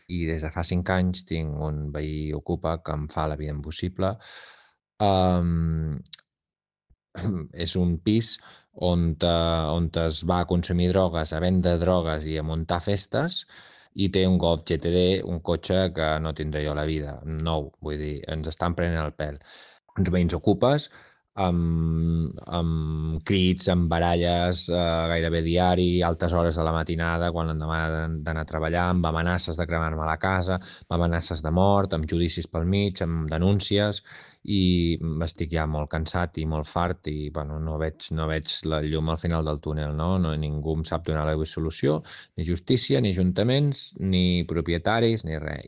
I des de fa 5 anys tinc un veí ocupa que em fa la vida impossible. És un pis on es va a consumir drogues, a vendre drogues i a muntar festes, i té un Golf GTD, un cotxe que no tindré jo a la vida, nou, vull dir, ens estan prenent el pèl. Uns veïns ocupes, amb crits, amb baralles gairebé diari, altes hores de la matinada, quan em demanen d'anar a treballar, amb amenaces de cremar-me la casa, amb amenaces de mort, amb judicis pel mig, amb denúncies, i estic ja molt cansat i molt fart i bueno, no veig la llum al final del túnel, no? Ningú em sap donar la solució, ni justícia, ni ajuntaments, ni propietaris, ni res.